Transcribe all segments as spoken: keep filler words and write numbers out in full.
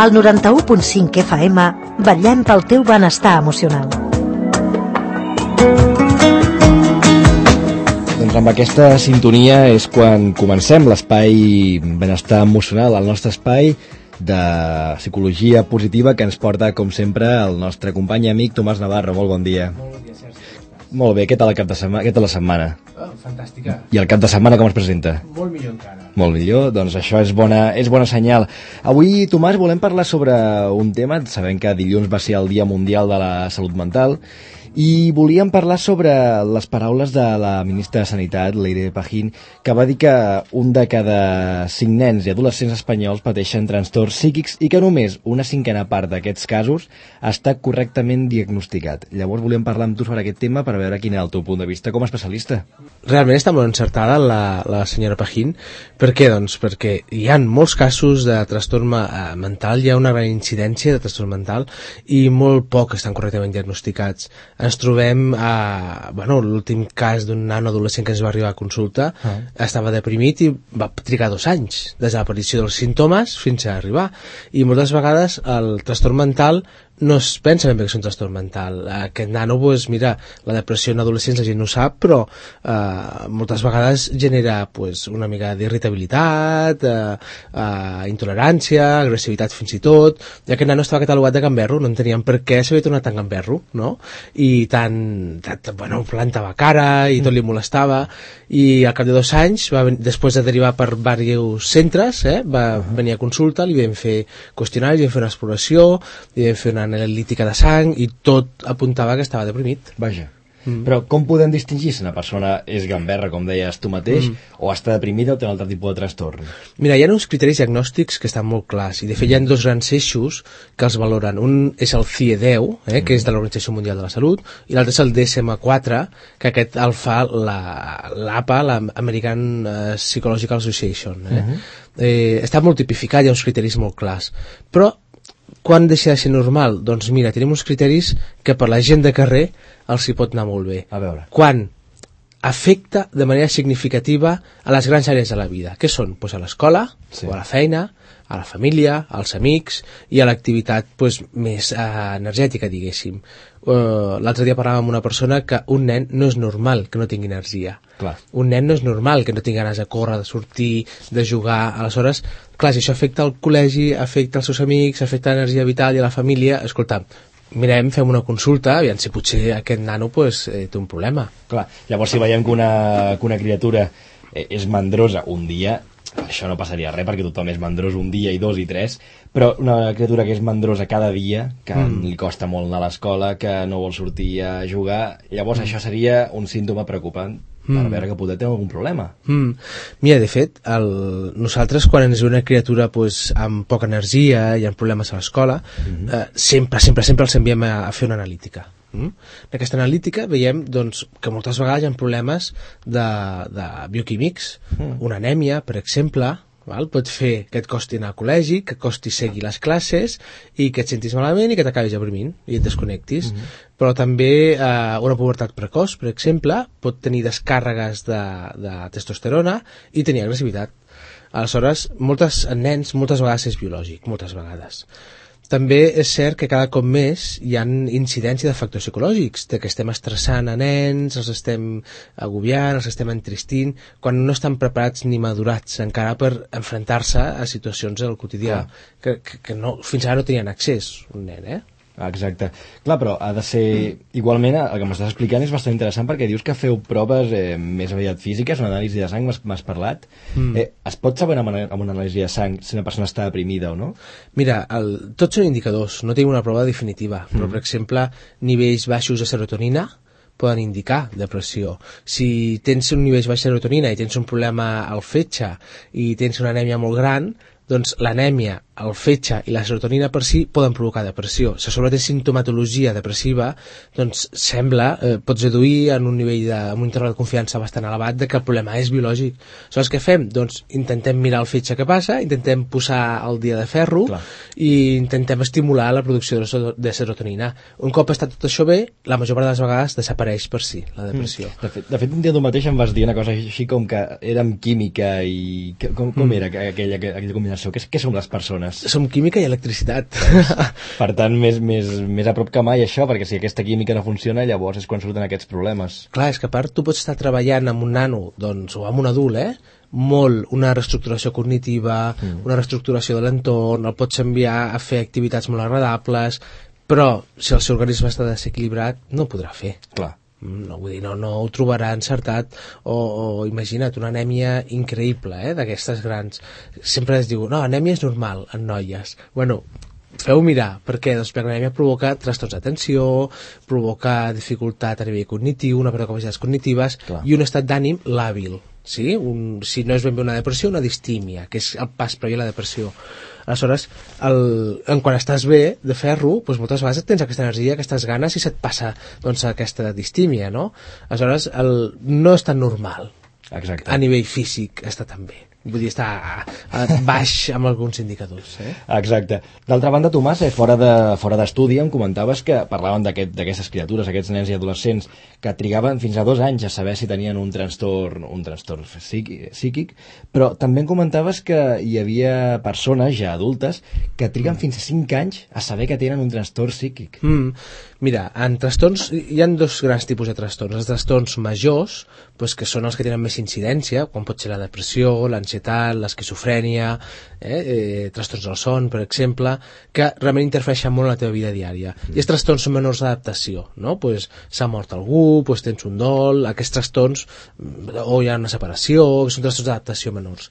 Al noranta-u punt cinc F M vetllem pel teu benestar emocional. Doncs amb aquesta sintonia és quan comencem l'espai benestar emocional, el nostre espai de psicologia positiva que ens porta, com sempre, el nostre company i amic Tomàs Navarro. Molt bon dia. Molt bon dia, Sergi. Molt bé, què tal el cap de setmana? Què tal la setmana? Oh, fantàstica. I el cap de setmana com es presenta? Molt millor encara. Molt millor, doncs això és bona, és bona senyal. Avui, Tomàs, volem parlar sobre un tema. Sabem que dilluns va ser el Dia Mundial de la Salut Mental i volíem parlar sobre les paraules de la ministra de Sanitat, Leire Pajín, que va dir que un de cada cinc nens i adolescents espanyols pateixen trastorns psíquics i que només una cinquena part d'aquests casos està correctament diagnosticat. Llavors volíem parlar amb tu sobre aquest tema per veure quin era el teu punt de vista com a especialista. Realment està molt encertada la, la senyora Pajín. Per què? Doncs perquè hi ha molts casos de trastorn eh, mental, hi ha una gran incidència de trastorn mental i molt poc estan correctament diagnosticats. Ens trobem a... Bueno, l'últim cas d'un nano adolescent que ens va arribar a consulta ah. estava deprimit i va trigar dos anys des de l'aparició dels símptomes fins a arribar. I moltes vegades el trastorn mental no es pensa ben bé que és un trastorn mental. Aquest nano, pues, mira, la depressió en adolescents la gent no ho sap, però eh, moltes vegades genera pues, una mica d'irritabilitat, eh, eh, intolerància, agressivitat fins i tot, i aquest nano estava catalogat de gamberro, no enteníem per què s'havia tornat tan gamberro, no? I tan, tan bueno, plantava cara i tot li molestava, i al cap de dos anys, va, després de derivar per diversos centres, eh, va venir a consulta, li vam fer qüestionari, li vam fer una exploració, li vam fer una analítica de sang i tot apuntava que estava deprimit. Vaja. Mm. Però com podem distingir si una persona és gamberra, com deies tu mateix, mm. o està deprimida o té un altre tipus de trastorn? Mira, hi ha uns criteris diagnòstics que estan molt clars i de fet hi ha dos grans eixos que els valoren. Un és el C I E deu, eh, mm. que és de l'Organització Mundial de la Salut, i l'altre és el D S M quatre, que aquest el fa l'A P A, l'American Psychological Association. Eh? Mm-hmm. Eh, està molt tipificat, hi ha uns criteris molt clars. Però quan deixa de ser normal? Doncs mira, tenim uns criteris que per la gent de carrer els hi pot anar molt bé. A veure. Quan afecta de manera significativa a les grans àrees de la vida. Què són? Pues a l'escola, sí. o a la feina, a la família, als amics i a l'activitat pues, més eh, energètica, diguéssim. Uh, l'altre dia parlàvem amb una persona que un nen no és normal que no tingui energia. Clar. Un nen no és normal que no tingui ganes de córrer, de sortir, de jugar. Aleshores, clar, si això afecta al col·legi, afecta als seus amics, afecta l'energia vital i a la família, escolta, mirem, fem una consulta, aviam si potser aquest nano pues, eh, té un problema. Clar, llavors si veiem que una, que una criatura eh, és mandrosa un dia, això no passaria res perquè tothom és mandrós un dia i dos i tres, però una criatura que és mandrosa cada dia, que mm. li costa molt anar a l'escola, que no vol sortir a jugar, llavors mm. això seria un símptoma preocupant per mm. veure que poder tenir algun problema. Mm. Mira, de fet, el... nosaltres quan ens ve una criatura pues, amb poca energia i amb problemes a l'escola, mm-hmm. eh, sempre, sempre, sempre els enviem a, a fer una analítica. Mm? En aquesta analítica veiem doncs, que moltes vegades hi ha problemes de, de bioquímics, mm. una anèmia, per exemple, val? Pot fer que et costi anar al col·legi, que et costi seguir les classes i que et sentis malament i que t'acabis deprimint i et desconnectis. Mm-hmm. Però també eh, una pubertat precoç, per exemple, pot tenir descàrregues de, de testosterona i tenir agressivitat. Aleshores, moltes, en nens moltes vegades és biològic, moltes vegades. També és cert que cada cop més hi ha incidència de factors psicològics, de que estem estressant a nens, els estem agobiant, els estem entristint, quan no estan preparats ni madurats encara per enfrontar-se a situacions del quotidià, que, que, que no, fins ara no tenien accés, un nen, eh? Exacte. Clar, però ha de ser... Igualment, el que m'estàs explicant és bastant interessant perquè dius que feu proves eh, més aviat físiques, una anàlisi de sang, m'has parlat. Mm. Eh, es pot saber amb una, amb una anàlisi de sang si una persona està deprimida o no? Mira, el, tots són indicadors, no tenim una prova definitiva, mm. però, per exemple, nivells baixos de serotonina poden indicar depressió. Si tens un nivell baix de serotonina i tens un problema al fetge i tens una anèmia molt gran, doncs l'anèmia, el fetge i la serotonina per si poden provocar depressió. Si a sobre té simptomatologia depressiva, doncs sembla, eh, pots deduir en un nivell de, en un interval de confiança bastant elevat de que el problema és biològic. Aleshores, què fem? Doncs intentem mirar el fetge que passa, intentem posar el dia de ferro. Clar. I intentem estimular la producció de serotonina. Un cop està tot això bé, la major part de les vegades desapareix per si, la depressió. Mm. De fet, de fet, un dia tu mateix em vas dir una cosa així com que era amb química i... Com, com mm. era aquella, aquella combinació informació. Què, què som les persones? Som química i electricitat. Per tant, més, més, més a prop que mai això, perquè si aquesta química no funciona, llavors és quan surten aquests problemes. Clar, és que a part tu pots estar treballant amb un nano, doncs, o amb un adult, eh? molt una reestructuració cognitiva, mm. una reestructuració de l'entorn, el pots enviar a fer activitats molt agradables, però si el seu organisme està desequilibrat no ho podrà fer. Clar. No, vull dir, no, no ho trobarà encertat, o, o imagina't, una anèmia increïble, eh, d'aquestes grans. Sempre es diu, no, anèmia és normal en noies. Bueno, feu mirar, perquè doncs, l'anèmia provoca trastorns d'atenció, provoca dificultat a nivell cognitiu, una pèrdua de capacitats cognitives. Clar. I un estat d'ànim làbil, sí? Un, si no és ben bé una depressió, una distímia, que és el pas previ a la depressió. Aleshores, el, en quan estàs bé de ferro, doncs moltes vegades tens aquesta energia, aquestes ganes, i se't passa doncs, aquesta distímia, no? Aleshores, el, no és tan normal. Exacte. A nivell físic està tan bé. Vull dir, està a, a baix amb alguns indicadors. Eh? Exacte. D'altra banda, Tomàs, eh, fora de, fora d'estudi, em comentaves que parlaven d'aquest, d'aquestes criatures, aquests nens i adolescents, que trigaven fins a dos anys a saber si tenien un trastorn, un trastorn psíquic, però també em comentaves que hi havia persones ja adultes que triguen mm. fins a cinc anys a saber que tenen un trastorn psíquic. Mm. Mira, en trastorns hi ha dos grans tipus de trastorns. Els trastorns majors, pues, que són els que tenen més incidència, com pot ser la depressió, l'ansietat, l'esquizofrènia, eh, eh, trastorns del son, per exemple, que realment interfereixen molt en la teva vida diària. Mm. I els trastorns menors d'adaptació, no? Pues, s'ha mort algú, pues, tens un dol, aquests trastorns, o hi ha una separació, que són trastorns d'adaptació menors.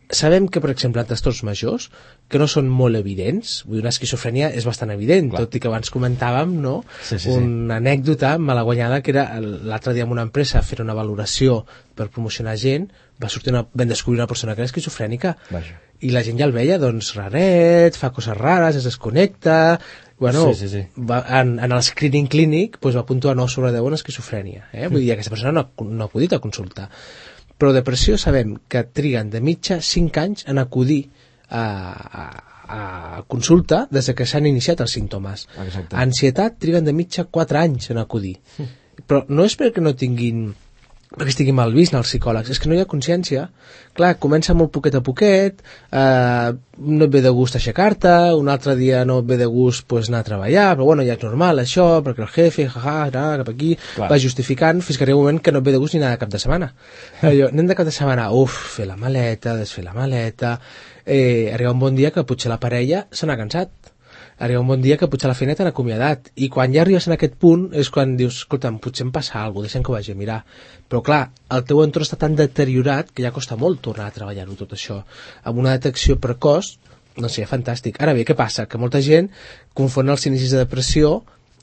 Sabem que, per exemple, en trastorns majors, que no són molt evidents, vull dir, una esquizofrènia és bastant evident, clar, tot i que abans comentàvem, no? Sí, sí, una sí. anècdota malaguanyada que era l'altre dia en una empresa fent una valoració per promocionar gent, va sortir una, vam descobrir una persona que era esquizofrènica. Vaja. I la gent ja el veia, doncs, raret, fa coses rares, es desconnecta. Bueno, sí, sí, sí. Va, en, en el screening clínic doncs, va puntuar nou sobre deu en esquizofrènia. Eh? Vull dir, aquesta persona no, no ha acudit a consultar. Però depressió sabem que triguen de mitja cinc anys en acudir a, a, a consulta des que s'han iniciat els símptomes. Exacte. Ansietat triguen de mitja quatre anys en acudir. Però no és perquè no tinguin, perquè estigui mal vist els psicòlegs, és que no hi ha consciència. Clar, comença molt poquet a poquet, eh, no et ve de gust aixecar-te, un altre dia no et ve de gust pues, anar a treballar, però bueno, ja és normal això, perquè el jefe, jaja, anar cap aquí, clar, va justificant, fins que arriba un moment que no et ve de gust ni anar de cap de setmana. Allò, anem de cap de setmana, uf, fer la maleta, desfer la maleta, eh, arriba un bon dia que potser la parella se n'ha cansat, arriba un bon dia que potser la feina t'han acomiadat, i quan ja arribes en aquest punt és quan dius, escolta'm, potser em passa alguna cosa, deixa'm que ho vagi a mirar. Però clar, el teu entorn està tan deteriorat que ja costa molt tornar a treballar-ho tot això. Amb una detecció precoç, no sé, fantàstic. Ara bé, què passa? Que molta gent confon els inicis de depressió,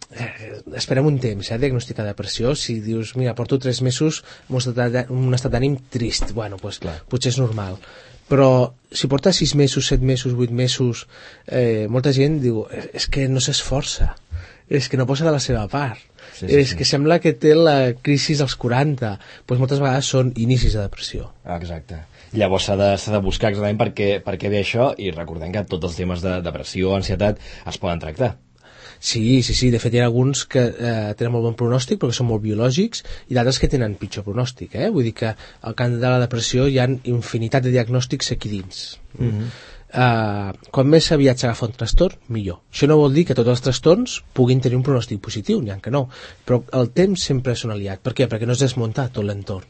eh, esperem un temps, eh, diagnosticar depressió, si dius, mira, porto tres mesos amb un estat d'ànim trist, bueno, pues, clar, potser és normal. Però si porta sis mesos, set mesos, vuit mesos, eh, molta gent diu, és que no s'esforça, és que no posa de la seva part, sí, sí, és sí. que sembla que té la crisi als quaranta, doncs moltes vegades són inicis de depressió. Exacte. Llavors s'ha de, s'ha de buscar exactament per què, per què ve això, i recordem que tots els temes de depressió o ansietat es poden tractar. Sí, sí, sí, de fet hi ha alguns que eh, tenen molt bon pronòstic perquè són molt biològics i d'altres que tenen pitjor pronòstic, eh? Vull dir que al camp de la depressió hi ha infinitat de diagnòstics aquí dins. Mm-hmm. uh, quan més aviat s'agafa un trastorn, millor. Això no vol dir que tots els trastorns puguin tenir un pronòstic positiu, n'hi ha que no, però el temps sempre és un aliat. Per què? Perquè no es desmunta tot l'entorn.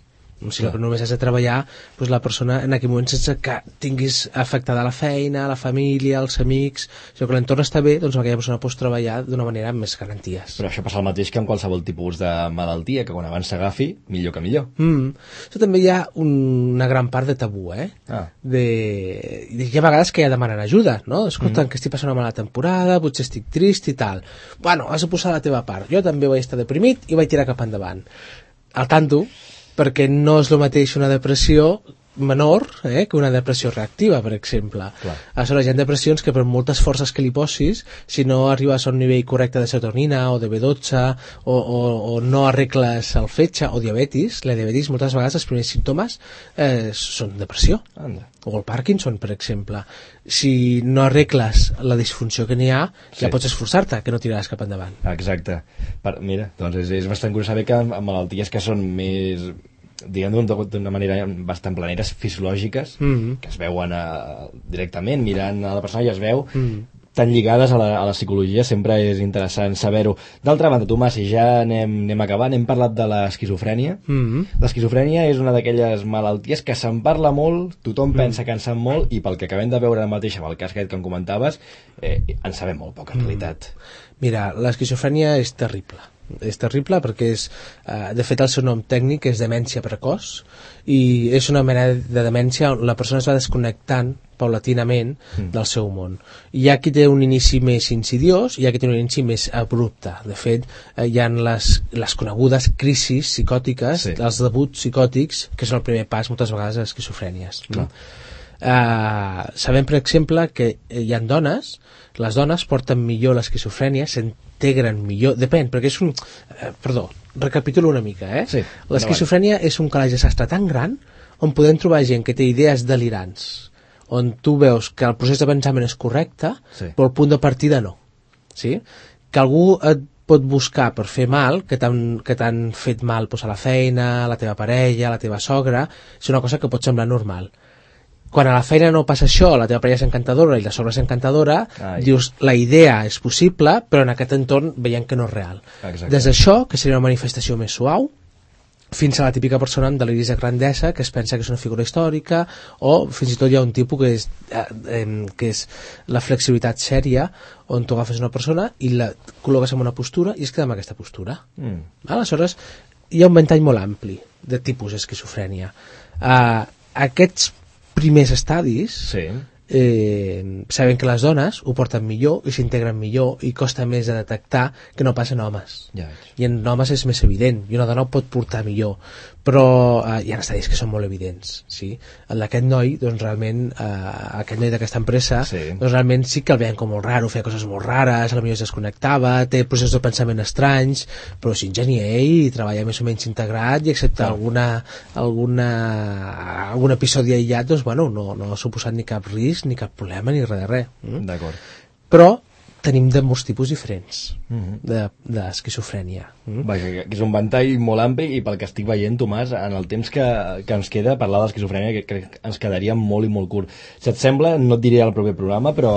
Si no, només has de treballar doncs la persona en aquell moment sense que tinguis afectada la feina, la família, els amics, si que l'entorn està bé, doncs aquella persona pot treballar d'una manera amb més garanties. Però això passa el mateix que amb qualsevol tipus de malaltia, que quan abans s'agafi, millor que millor. Mm. Això també hi ha un, una gran part de tabú, eh? Ah. De... Hi ha vegades que ja demanen ajuda, no? Escolta, mm. que estic passant una mala temporada, potser estic trist i tal. Bueno, has de posar la teva part. Jo també vaig estar deprimit i vaig tirar cap endavant. Al tanto, perquè no és el mateix una depressió menor eh, que una depressió reactiva, per exemple. Clar. Aleshores, hi ha depressions que per moltes forces que li posis, si no arribes a un nivell correcte de serotonina o de B dotze o, o, o no arregles el fetge o diabetis, la diabetis moltes vegades els primers símptomes eh, són depressió. Anda. O el Parkinson, per exemple. Si no arregles la disfunció que n'hi ha, sí, ja pots esforçar-te, que no tiraràs cap endavant. Exacte. Per, mira, doncs és, és bastant curiós saber que amb malalties que són més diguem d'una manera bastant planeres fisiològiques, mm-hmm. que es veuen uh, directament, mirant a la persona i es veu, mm-hmm. tan lligades a la, a la psicologia, sempre és interessant saber-ho. D'altra banda, Tomàs, si ja anem, anem acabant, hem parlat de l'esquizofrènia. Mm-hmm. L'esquizofrènia és una d'aquelles malalties que se'n parla molt, tothom mm-hmm. pensa que en sap molt, i pel que acabem de veure ara mateix amb el cas aquest que em comentaves, eh, en sabem molt poc, en mm-hmm. realitat. Mira, l'esquizofrènia és terrible. És terrible perquè és, eh, de fet el seu nom tècnic és demència precoç, i és una mena de demència on la persona es va desconnectant paulatinament mm. del seu món. Hi ha qui té un inici més insidiós, hi ha qui té un inici més abrupte. De fet, eh, hi ha les, les conegudes crisis psicòtiques, sí. els debuts psicòtics, que són el primer pas moltes vegades a esquizofrènies. Mm. No? Uh, sabem, per exemple, que hi ha dones, les dones porten millor l'esquizofrènia, s'integren millor, depèn, perquè és un... Uh, perdó, recapitulo una mica, eh? Sí, l'esquizofrènia és un calaix de sastre tan gran on podem trobar gent que té idees delirants, on tu veus que el procés de pensament és correcte, sí. però el punt de partida no. Sí? Que algú et pot buscar per fer mal, que t'han, que t'han fet mal pues, a la feina, a la teva parella, a la teva sogra, és una cosa que pot semblar normal. Quan a la feina no passa això, la teva parella és encantadora i la sogra és encantadora, Ai. dius, la idea és possible, però en aquest entorn veiem que no és real. Exacte. Des d'això, que seria una manifestació més suau, fins a la típica persona amb deliris de grandesa que es pensa que és una figura històrica, o fins i tot hi ha un tipus que és, eh, eh, que és la flexibilitat sèria, on tu agafes una persona i la col·loques en una postura i es queda en aquesta postura. Mm. Aleshores, hi ha un ventall molt ampli de tipus d'esquizofrènia. Uh, aquests primers estadis sí. eh, sabem que les dones ho porten millor i s'integren millor i costa més de detectar que no passa en homes ja i en homes és més evident i una dona ho pot portar millor, però eh, hi ha estadis que són molt evidents, sí? El d'aquest noi, doncs realment eh, aquest noi d'aquesta empresa, sí. doncs realment sí que el veiem com molt raro, feia coses molt rares, potser es desconnectava, té processos de pensament estranys, però s'ingenia ell i treballa més o menys integrat i excepte alguna, alguna algun episodi aïllat, doncs bueno, no, no ha suposat ni cap risc, ni cap problema, ni res de res. Mm? D'acord. Però tenim de molts tipus diferents mm-hmm. d'esquizofrènia. Mm? Vaja, que és un ventall molt ampli i pel que estic veient, Tomàs, en el temps que, que ens queda parlar de l'esquizofrènia, que crec que ens quedaria molt i molt curt. Si et sembla, no et diré al proper programa, però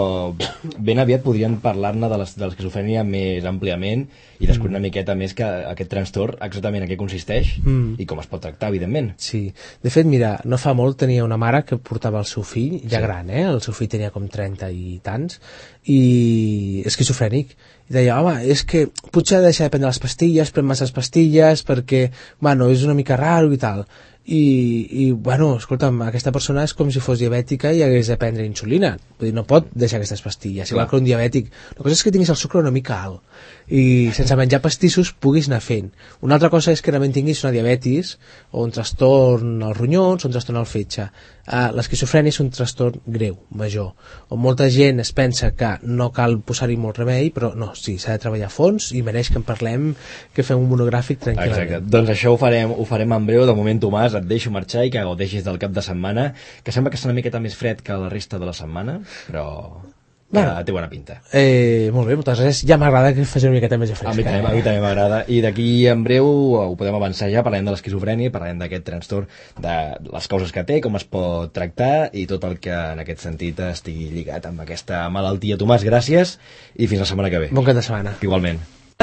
ben aviat podríem parlar-ne de l'esquizofrènia més àmpliament i descobrir mm. una miqueta més que aquest trastorn exactament en què consisteix mm. i com es pot tractar, evidentment. Sí. De fet, mira, no fa molt tenia una mare que portava el seu fill, ja sí. gran, eh? El seu fill tenia com trenta i tants, i esquizofrènic, i deia, home, és que potser ha de deixar de prendre les pastilles, pren masses pastilles perquè, bueno, és una mica raro i tal, i, i bueno, escolta'm, aquesta persona és com si fos diabètica i hagués de prendre insulina, vull dir, no pot deixar aquestes pastilles, igual que un diabètic. La cosa és que tinguis el sucre una mica alt i sense menjar pastissos puguis anar fent. Una altra cosa és que realment tinguis una diabetis o un trastorn als ronyons o un trastorn al fetge. Uh, l'esquizofrènia és un trastorn greu, major, on molta gent es pensa que no cal posar-hi molt remei, però no, sí, s'ha de treballar a fons i mereix que en parlem, que fem un monogràfic tranquil·lament. Exacte, doncs això ho farem, ho farem en breu. De moment, Tomàs, et deixo marxar i que gaudeixis del cap de setmana, que sembla que és una miqueta més fred que la resta de la setmana, però bueno, té bona pinta. Eh, molt bé, moltes gràcies. Ja m'agrada que faci una miqueta més de fresca. A mi també, eh? a mi també m'agrada. I d'aquí en breu ho podem avançar ja, parlem de l'esquizofrènia, parlem d'aquest trastorn, de les causes que té, com es pot tractar i tot el que en aquest sentit estigui lligat amb aquesta malaltia. Tomàs, gràcies i fins la setmana que ve. Bon cap de setmana. Igualment.